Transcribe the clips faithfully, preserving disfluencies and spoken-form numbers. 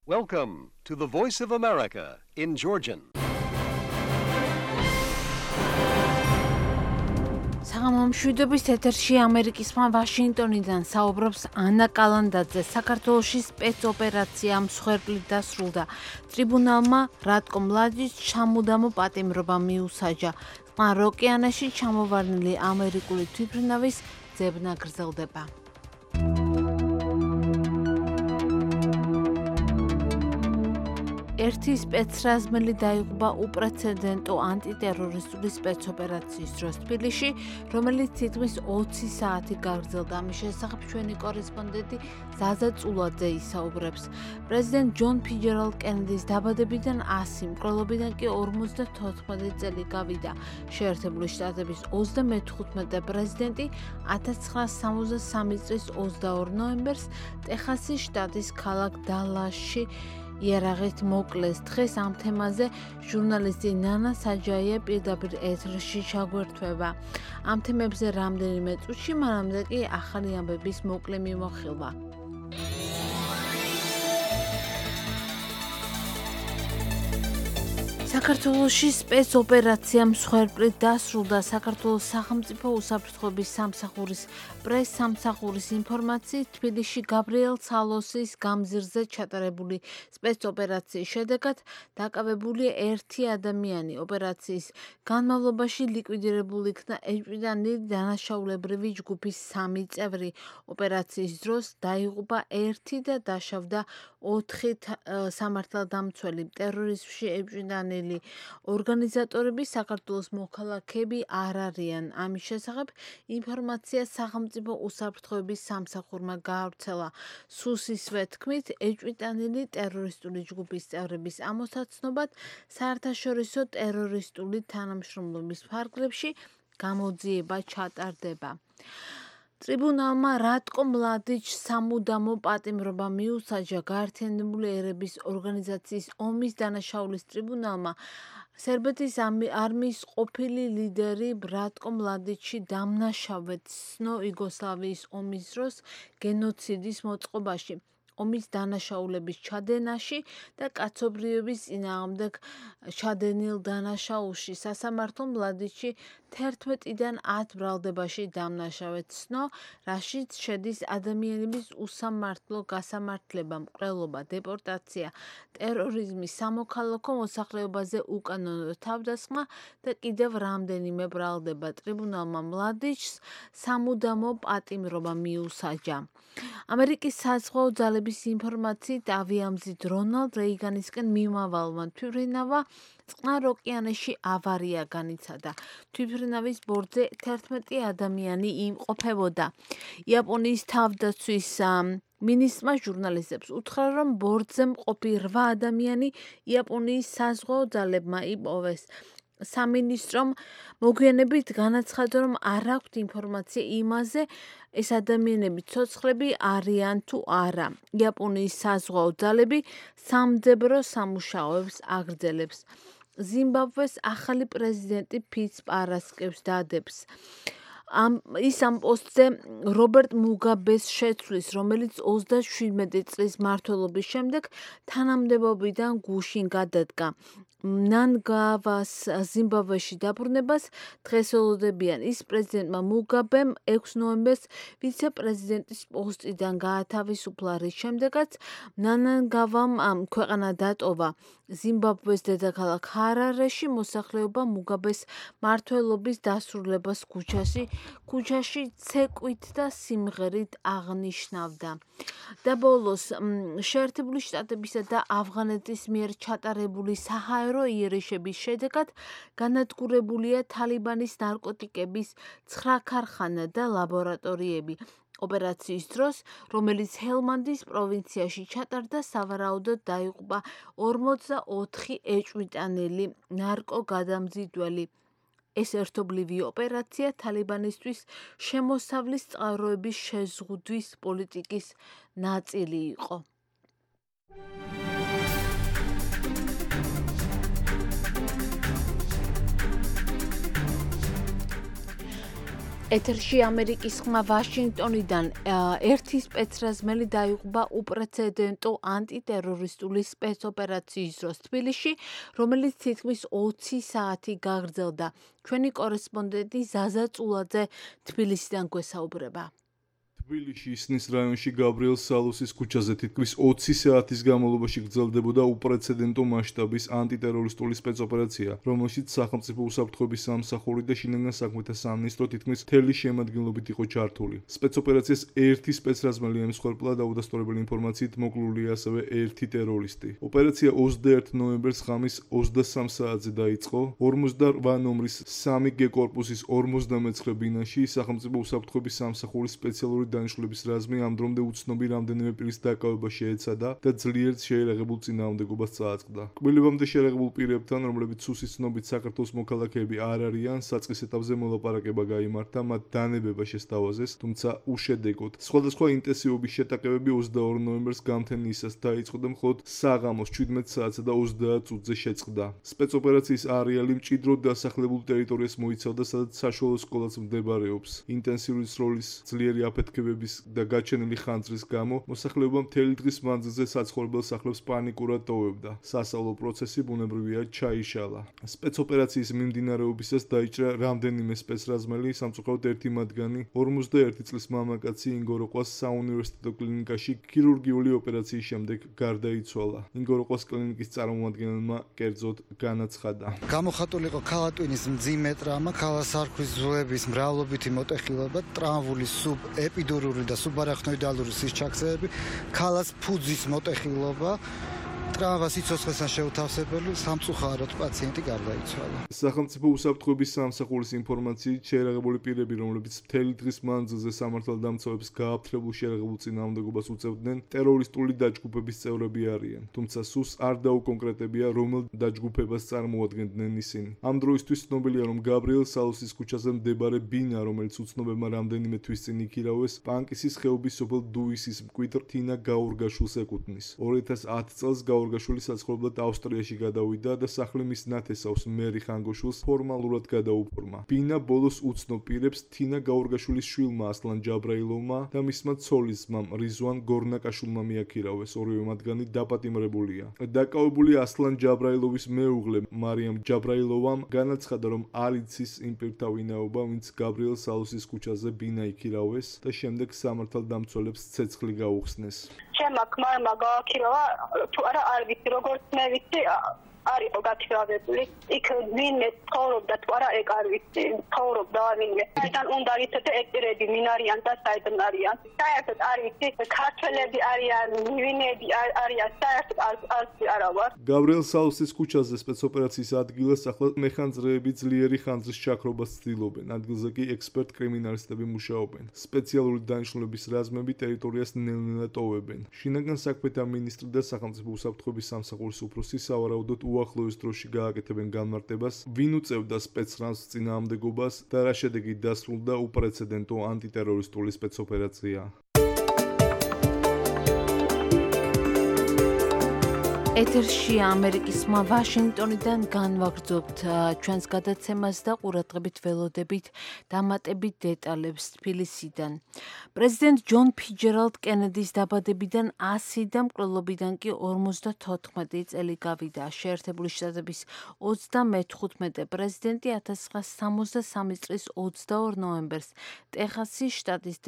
Welcome to the Voice of America in Georgian. საღამომშვიდობის ეთერში ამერიკისმა ვაშინგტონიდან საუბრობს ანა კალანდაძე. საქართველოში სპეცოპერაცია მსხვერპლით დასრულდა. ტრიბუნალმა რატკო მლადის ჩამუდამო პატიმრობა მიუსაჯა. წყნარ ოკეანეში ჩამოვარდნილი ამერიკული თვითმფრინავის ძებნა გრძელდება. ერთი სპეცრაზმელი დაიღუპა უპრეცედენტო ანტიტერორისტული სპეცოპერაციის დროს თბილისში, რომელიც თითქმის ოცი საათი გაგრძელდა. ამის შესახებ ჩვენი კორესპონდენტი ზაზა წულაძე ისაუბრებს. პრეზიდენტ ჯონ ფიჯერალდ კენედის დაბადებიდან ასი, მკვლელობიდან კი ორმოცდათოთხმეტი წელი გავიდა. შეერთებული შტატების ოცდამეთხუთმეტე პრეზიდენტი ათას ცხრაასი სამოცდასამი წლის ოცდაორ ნოემბერს ტეხასის შტატის ქალაქ დალასში იარაღით მოკლეს. დღეს ამ თემაზე ჟურნალისტი ნანა საჯაია პირდაპირ ეთერში ჩაგვერთვება. ამ თემებზე რამდენიმე წუთში, მანამდე კი ახალი ამბების მოკლე მიმოხილვა. საქართველოში სპეცოპერაცია მსხვერპლით დასრულდა. საქართველოს სახელმწიფო უსაფრთხოების სამსახურის პრეს-სამსახურის ინფორმაციით, თბილისში გაბრიელ ცალოსის გამზირზე ჩატარებული სპეცოპერაციის შედეგად დაკავებული ერთი ადამიანი. ოპერაციის განმავლობაში ლიკვიდირებული იქნა ეჭვმიტანილი დანაშაულებრივი ჯგუფის სამი წევრი. ოპერაციის დროს დაიღუპა ერთი და დაშავდა ოთხი სამართალდამცველი. ტერორიზმში ეჭვმიტანილი ორგანიზატორები საქართველოს მოქალაქეები არ არიან. ამის შესახებ ინფორმაცია სახელმწიფო უსაფრთხოების სამსახურმა გაავრცელა. სუსისვე თქმით, ეჭვმიტანილი ტერორისტული ჯგუფის წევრების ამოსაცნობად საერთაშორისო ტერორისტული თანამშრომლობის ფარგლებში გამოძიება ჩატარდება. ტრიბუნალმა რატკო მლადიჩ სამუდამო პატიმრობა მიუსაჯა. გაერთიანებული ერების ორგანიზაციის ომის დანაშაულის ტრიბუნალმა სერბეთის არმიის ყოფილი ლიდერი რატკო მლადიჩი დამნაშავედ ცნო იუგოსლავიის ომის დროს გენოციდის მოწყობაში, ომის დანაშაულების ჩადენაში და კაცობრიობის წინააღმდეგ ჩადენილ დანაშაულში. სასამართლო მლადიჩი თერთმეტიდან ათ ბრალდებაში დამნაშავედ ცნო, რაშიც შედის ადამიანების უსამართლო გასამართლება, მკვლელობა, დეპორტაცია, ტერორიზმი, სამოქალაქო მოსახლეობაზე უკანონო თავდასხმა და კიდევ რამდენიმე ბრალდება. ტრიბუნალმა მლადიჩს სამუდამო პატიმრობა მიუსაჯა. ამერიკის საზღვაო ძალების ინფორმაციით, ავიამზით რონალდ რეიგანისკენ მიმავალმა თვითმფრინავმა წყნარ ოკეანეში ავარია განიცადა. თვითმფრინავის ბორტზე თერთმეტი ადამიანი იმყოფებოდა. იაპონიის თავდაცვის მინისტრმა ჟურნალისტებს უთხრა, რომ ბორტზე მყოფი რვა ადამიანი იაპონიის საზღვაო ძალებმა იპოვეს. სამინისტრომ მოგვიანებით განაცხადა, რომ არ აქვთ ინფორმაცია იმაზე, ეს ადამიანები ცოცხლები არიან თუ არა. იაპონიის საზღვაო ძალები სამძებრო სამუშაოებს აგრძელებს. ზიმბაბვეს ახალი პრეზიდენტი ფიც პარასკევს დადებს. ამ ის ამ პოსტზე რობერტ მუგაბეს შეცვლის, რომელიც ოცდაშვიდმეტი წლის მმართველობის შემდეგ თანამდებობიდან გუშინ გადადგა. მნანგაგავას ზიმბაბვეში დაბრუნებას დღეს ელოდებიან. ის პრეზიდენტმა მუგაბემ ექვსი ნოემბერს ვიცე-პრეზიდენტის პოსტიდან გაათავისუფლა, რის შემდეგაც მნანგაგავამ ქვეყანა დატოვა. ზიმბაბვეს დედაქალაქ ჰარარეში მოსახლეობა მუგაბეს მმართველობის დასრულებას ქუჩაში ქუჩაში ცეკვით და სიმღერით აღნიშნავდა. და ბოლოს, შეერთებული შტატებისა და ავღანეთის მიერ ჩატარებული საჰაერო იერიშების შედეგად განადგურებულია თალიბანის ნარკოტიკების ცხრა ქარხანა და ლაბორატორიები. ოპერაციის დროს, რომელიც ჰელმანდის პროვინციაში ჩატარდა, სავარაუდოდ დაიღუპა ორმოცდაოთხი ეჭვმიტანილი ნარკოგადამზიდველი. ეს ერთობლივი ოპერაცია თალიბანისთვის შემოსავლის წყაროების შეზღუდვის პოლიტიკის ნაწილი იყო. ეთერში ამერიკის ხმა ვაშინგტონიდან ერთი სპეცრაზმელი დაიღუპა უპრეცედენტო ანტიტერორისტული სპეცოპერაციის დროს თბილისში, რომელიც თითქმის ოცი საათი გაგრძელდა. ჩვენი კორესპონდენტი ზაზა წულაძე თბილისიდან გვესაუბრება. თბილისში ისნის რაიონში გაბრიელ სალუსის ქუჩაზე თითქმის ოცი საათის განმავლობაში გრძელდებოდა უპრეცედენტო მასშტაბის ანტიტერორისტული სპეცოპერაცია, რომელშიც სახელმწიფო უსაფრთხოების სამსახური და შინაგან საქმეთა სამინისტრო თითქმის მთელი შემადგენლობით იყო ჩართული. სპეცოპერაციას ერთი სპეცრაზმელი ემსხვერპლა და უდასტურებელი ინფორმაციით მოკლულია ასევე ერთი ტერორისტი. ოპერაცია ოცდაერთი ნოემბერს ღამის ოცდასამ საათზე დაიწყო. ორმოცდარვა ნომრის სამი გე კორპუსის ორმოცდამეცხრე ბინაში სახელმწიფო უსაფრთხოების სამსახურის სპეციალური დანიშნულების რაზმი ამ დრომდე უცნობი რამდენიმე პირის დაკავება შეეცადა და ძლიერ შეერაღებულ წინააღმდეგობას წააწყდა. კბილებამდე შეერაღებულ პირებთან, რომლებიც სუსის ცნობით საქართველოს მოქალაქეები არ არიან, საწყის ეტაპზე მოლაპარაკება გაიმართა, მათ დანებება შესთავაზეს, თუმცა უშედეგოდ. სხვადასხვა ინტენსივობის შეტაკებები ოცდაორი ნოემბერს გამთენიისას დაიწყო და მხოლოდ საღამოს შვიდმეტ საათსა და ოცდაათ წუთზე შეწყდა. სპეცოპერაციის არეალი მჭიდროდ დასახლებულ ტერიტორიას მოიცავდა, სადაც საშუალო სკოლაც მდებარეობს. ინტენსიური სროლის ძლიერი აფეთქება და გაჩენილი ხანძრის გამო მოსახლეობა მთელი დღის მანძილზე საცხოვრებელ სახლებს პანიკურად ტოვებდა. სასწავლო პროცესი ბუნებრივია ჩაიშალა. სპეცოპერაციის მიმდინარეობისას დაიჭრა რამდენიმე სპეცრაზმელი, სამწუხაროდ ერთი მათგანი ორმოცდაერთი წლის მამაკაცი ინგოროყვას საუნივერსიტეტო კლინიკაში ქირურგიული ოპერაციის შემდეგ გარდაიცვალა. ინგოროყვას კლინიკის წარმომადგენელმა კერძოდ განაცხადა. გამოხატული იყო ქალატვინის მძიმე ტრამა, ქალასარქვის ძვლების მრავლობითი მოტეხილობა, ტრავმული სუბ ეპიდურული და სუბარახნოიდალური სისჩაქცეები, ქალას ფუძის მოტეხილობა, ტრამა სიცოცხლესთან შეუთავსებელი, სამწუხაროდ პაციენტი გარდაიცვალა. სახელმწიფო უსაფრთხოების სამსახურის ინფორმაციით შეერაღებული პირები, რომლებიც მთელი დღის მანძილზე სამართალდამცავებს გააფთრებულ შეერაღებულ წინააღმდეგობას უწევდნენ, ტერორისტული დაჯგუფების წევრები არიან. თუმცა სուს არ დაუკონკრეტებია, რომელ დაჯგუფებას წარმოადგენდნენ ისინი. ამ დროისთვის ცნობილია, რომ გაბრიელ სალუსის ქუჩაზე მდებარე ბინა, რომელიც უცნობებმა რამდენიმე თვის წინ იქირავეს, პანკისის ხეობის სოფელ დუისის მკვიდრ თინა გაურგაშულს ეკუთვნის. ორი ათას ათი წელს გაურგაშვილი საცხოვრებლად ავსტრიაში გადავიდა და სახლი მის ნათესავს მერი ხანგოშვილს ფორმალურად გადაუფორმა. ბინა ბოლოს უცნობ პირებს თინა გაურგაშვილის შვილმა ასლან ჯაბრაილოვმა და მისმა ცოლის ძმამ რიზვან გორნაკაშვილმა მიაქირავეს. ორივე მათგანი დაპატიმრებულია. დაკავებული ასლან ჯაბრაილოვის მეუღლე მარიამ ჯაბრაილოვამ განაცხადა, რომ არ იცის იმ პირთა ვინაობა, ვინც გაბრიელ სალუსის ქუჩაზე ბინა იქირავეს და შემდეგ სამართალდამცველებს ცეცხლი გაუხსნეს. ჩემმა ქმარმა გააქირავა, თუ არა არ ვიცი, როგორც მე ვიცი, არ იყო გაქირავებული. იქ ვინმე ცხოვრობდა, თუ არა ეგ არ ვიცი, ცხოვრობდა ვინმე. საიდან უნდა ვიცოდე ეპირები ვინ არიან და საიდან არიან. საერთოდ არ ვიცი, ქართველები არიან, ვინები არიან, საერთოდ არ ვარ. გაბრიელ სალუსის ქუჩაზე სპეცოპერაციის ადგილას ახლა მეხანძრეები ძლიერი ხანძრის ჩაქრობას ცდილობენ. ადგილზე კი ექსპერტ კრიმინალისტები მუშაობენ. სპეციალური დანიშნულების რაზმები ტერიტორიას ნელ-ნელა ტოვებენ. შინაგან საქმეთა მინისტრი და სახელმწიფო უსაფრთხოების სამსახურის უფროსი სავარაუდოდ უახლოეს დროში გააკეთებენ განმარტებას, ვინ უწევდა სპეცრაზმს წინააღმდეგობას და რა შედეგით დასრულდა უპრეცედენტო ანტიტერორისტული სპეცოპერაცია. ეთერში ამერიკის ხმა ვაშინგტონიდან განვაგრძობთ ჩვენს გადაცემას და ყურადღებით ველოდებით დამატებით დეტალებს თბილისიდან. პრეზიდენტ ჯონ ფიჯერალდ კენედის დაბადებიდან ასი და მკვლელობიდან კი ორმოცდათოთხმეტი წელი გავიდა. შეერთებული შტატების ოცდამეთხუთმეტე პრეზიდენტი ათას ცხრაასა სამოცდასამი წლის ოცდაორ ნოემბერს ტეხასის შტატის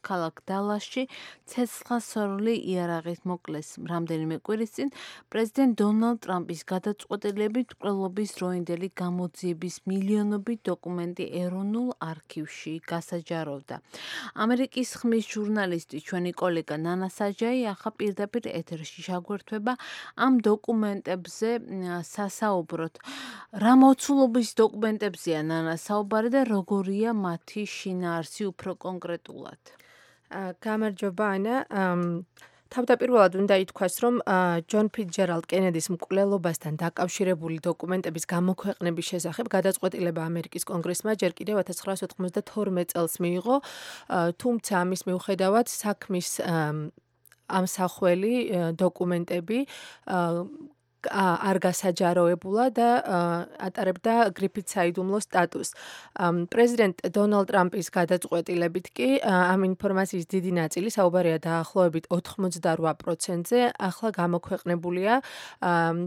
ქალაქ დალასში ცეცხლსასროლი იარაღით მოკლეს. რამდენიმე კვირის წინ პრეზიდენტ დონალდ ტრამპის გადაწყვეტილებით მკვლელობის დროინდელი გამოძიების მილიონობით დოკუმენტი ეროვნულ არქივში გასაჯაროვდა. ამერიკის ხმის ჟურნალისტი ჩვენი კოლეგა ნანა საჯაი ახლა პირდაპირ ეთერში ჩაგვერთვება ამ დოკუმენტებზე სასაუბროთ. რა მოცულობის დოკუმენტებზეა ნანა საუბარი და როგორია მათი შინაარსი უფრო კონკრეტულად? გამარჯობა ანა. თავდაპირველად უნდა ითქვას, რომ ჯონ ფიცჯერალდ კენედის მკვლელობასთან დაკავშირებული დოკუმენტების გამოქვეყნების შესახებ გადაწყვეტილება ამერიკის კონგრესმა ჯერ კიდევ ათას ცხრაასა ოთხმოცდათორმეტ წელს მიიღო, თუმცა ამის მიუხედავად საქმის ამსახველი დოკუმენტები არ გასაჯაროებულა და ატარებდა გრიფით საიდუმლო სტატუსს. პრეზიდენტ დონალდ ტრამპის გადაწყვეტილებით კი ამ ინფორმაციის დიდი ნაწილი, საუბარია დაახლოებით ოთხმოცდარვა პროცენტზე, ახლა გამოქვეყნებულია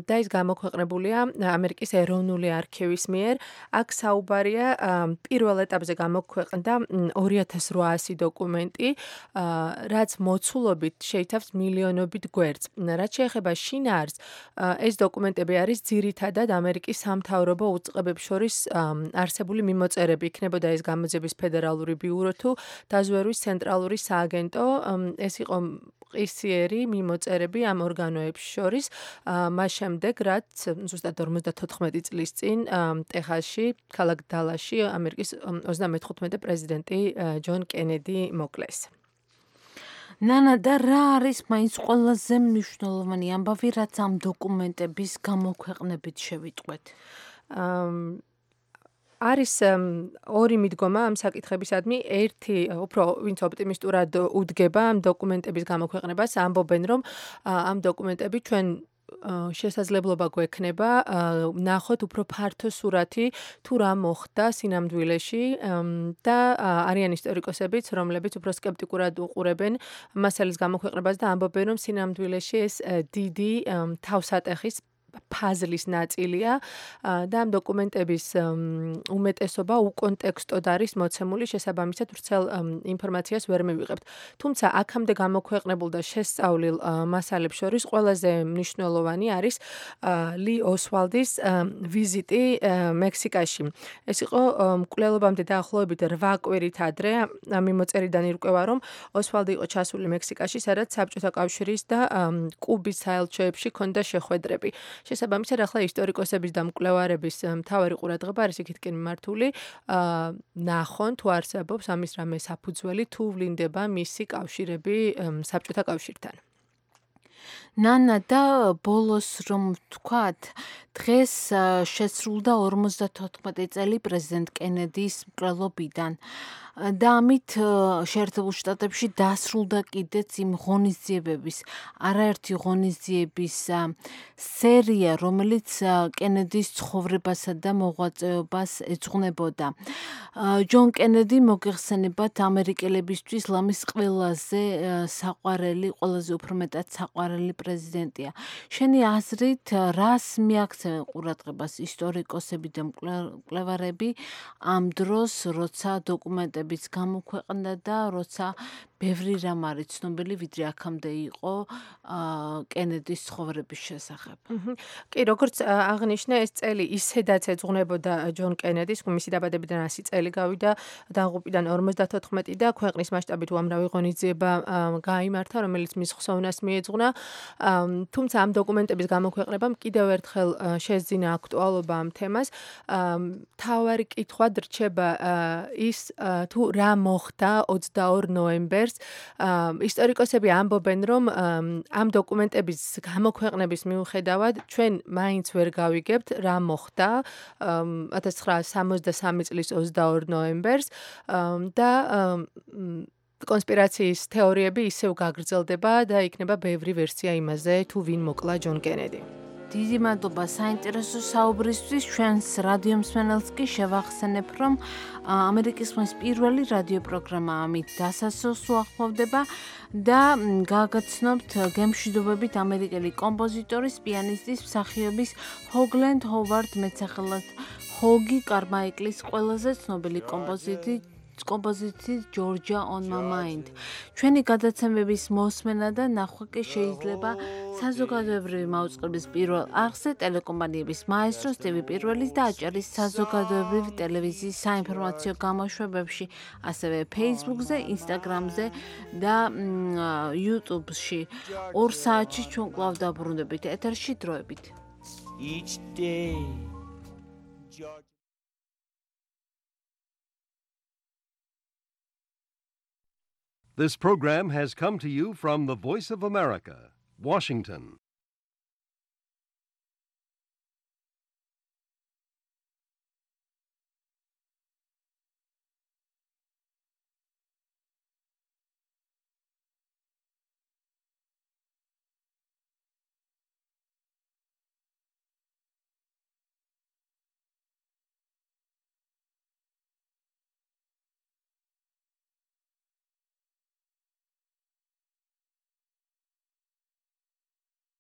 და ის გამოქვეყნებულია ამერიკის ეროვნული არქივის მიერ. აქ საუბარია პირველ ეტაპზე გამოქვეყნდა ორი ათას რვაასი დოკუმენტი, რაც მოცულობით შეიცავს მილიონობით გვერდს. რაც შეეხება შინაარსს, ეს დოკუმენტები არის ძირითადად ამერიკის სამთავრობო უწყებებს შორის არსებული მიმოწერები. იქნებოდა ეს გამოძიების ფედერალური ბიურო თუ დაზვერვის ცენტრალური სააგენტო. ეს იყო ყისიერი მიმოწერები ამ ორგანოებს შორის, მას შემდეგ, რაც ზუსტად ორმოცდათოთხმეტი წლის წინ ტეხასში, ქალაქ დალასში ამერიკის ოცდამეთხუთმეტე პრეზიდენტი ჯონ კენედი მოკლეს. ნანა, და რა არის მაინც ყველაზე მნიშვნელოვანი ამბავი, რაც ამ დოკუმენტების გამოქვეყნებით შევიტყვეთ? არის ორი მიდგომა ამ საკითხებისადმი. ერთი, უფრო ვინც ოპტიმისტურად უდგება ამ დოკუმენტების გამოქვეყნებას, ამბობენ, რომ ამ დოკუმენტები ჩვენ შესაძლებლობა გვექნება ნახოთ უფრო ფართო სურათი თუ რა მოხდა სინამდვილეში და არიან ისტორიკოსებიც, რომლებიც უფრო სკეპტიკურად უყურებენ მასალის გამოქვეყნებას და ამბობენ, რომ სინამდვილეში ეს დიდი თავსატეხის ფაზლის ნაწილია და ამ დოკუმენტების უმეტესობა უკონტექსტოდ არის მოცემული, შესაბამისად ვრცელ ინფორმაციას ვერ მივიღებთ. თუმცა აქამდე გამოქვეყნებულ და შესწავლილ მასალებს შორის ყველაზე მნიშვნელოვანი არის ლი ოსვალდის ვიზიტი მექსიკაში. ეს იყო მკვლელობამდე დაახლოებით რვა კვირით ადრე. მიმოწერიდან ირკვევა, რომ ოსვალდი იყო ჩასული მექსიკაში, სადაც საბჭოთა კავშირის და კუბის საელჩოებში ჰქონდა შეხვედრები. შესაბამისად, ახლა ისტორიკოსების და მკვლევარების მთავარი ყურადღება არის იქითკენ მიმართული, ნახონ თუ არსებობს ამის რამე საფუძველი, თუ ვლინდება მისი კავშირები საბჭოთა კავშირთან. ნანა, და ბოლოს რომ ვთქვათ, დღეს შესრულდა ორმოცდათოთხმეტი წელი პრეზიდენტ კენედის მკვლელობიდან. და ამით შეერთებულ შტატებში დასრულდა კიდეც იმ ღონისძიებების, არაერთი ღონისძიების სერია, რომელიც კენედის ცხოვრებასა და მოღვაწეობას ეძღვნებოდა. ჯონ კენედი, მოგეხსენებათ, ამერიკელებისთვის ლამის ყველაზე საყვარელი, ყველაზე უფრო მეტად საყვარელი პრეზიდენტია. შენი აზრით, რას მიაქცევენ ყურადღებას ისტორიკოსები და მკვლევარები ამ დროს, როცა დოკუმენტები გამოქვეყნდა და როცა ბევრი რამ არის ცნობილი, ვიდრე აქამდე იყო კენედის ცხოვრების შესახებ. კი, როგორც აღნიშნე, ეს წელი ისედაც ეძღვნებოდა ჯონ კენედის, მისი დაბადებიდან ასი წელი გავიდა, დაღუპვიდან ორმოცდათოთხმეტი და ქვეყნის მასშტაბით უამრავი ღონისძიება გაიმართა, რომელიც მის ხსოვნას მიეძღვნა. თუმცა ამ დოკუმენტების გამოქვეყნებამ კიდევ ერთხელ შეძინა აქტუალობა ამ თემას. მთავარი კითხვად რჩება ის, თუ რა მოხდა ოცდაორ ნოემბერს. ისტორიკოსები ამბობენ, რომ ამ დოკუმენტების გამოქვეყნების მიუხედავად ჩვენ მაინც ვერ გავიგებთ რა მოხდა ათას ცხრაასი სამოცდასამი წლის ოცდაორ ნოემბერს და კონსპირაციის თეორიები ისევ გაგრძელდება და იქნება ბევრი ვერსია იმაზე, თუ ვინ მოკლა ჯონ კენედი. დიდი მადლობა საინტერესო საუბრისთვის. ჩვენს რადიო მსმენელს კი შევახსენებ, რომ ამერიკის ხმის პირველი რადიო პროგრამა ამით დასასრულს უახლოვდება და გაგაცნობთ გემშვიდობებით ამერიკელი კომპოზიტორის, პიანისტის, მსახიობის ჰოგლენდ ჰოვარდ მეტსახელად ჰოგი კარმაიკლის ყველაზე ცნობილი კომპოზიტი კომპოზიციის Georgia on my mind. ჩვენი გადაცემების მოსმენა და ნახვა კი შეიძლება საზოგადოებრივი მაუწყებლის პირველ არხზე, ტელეკომპანიების მაესტროს, ტივი პირველის და აჭარის საზოგადოებრივი ტელევიზიის საინფორმაციო გამოშვებებში, ასევე Facebook-ზე, Instagram-ზე და YouTube-ში. ორ საათში ჩვენ კვლავ დაბრუნდებით ეთერში დროებით. Each day This program has come to you from the Voice of America, Washington.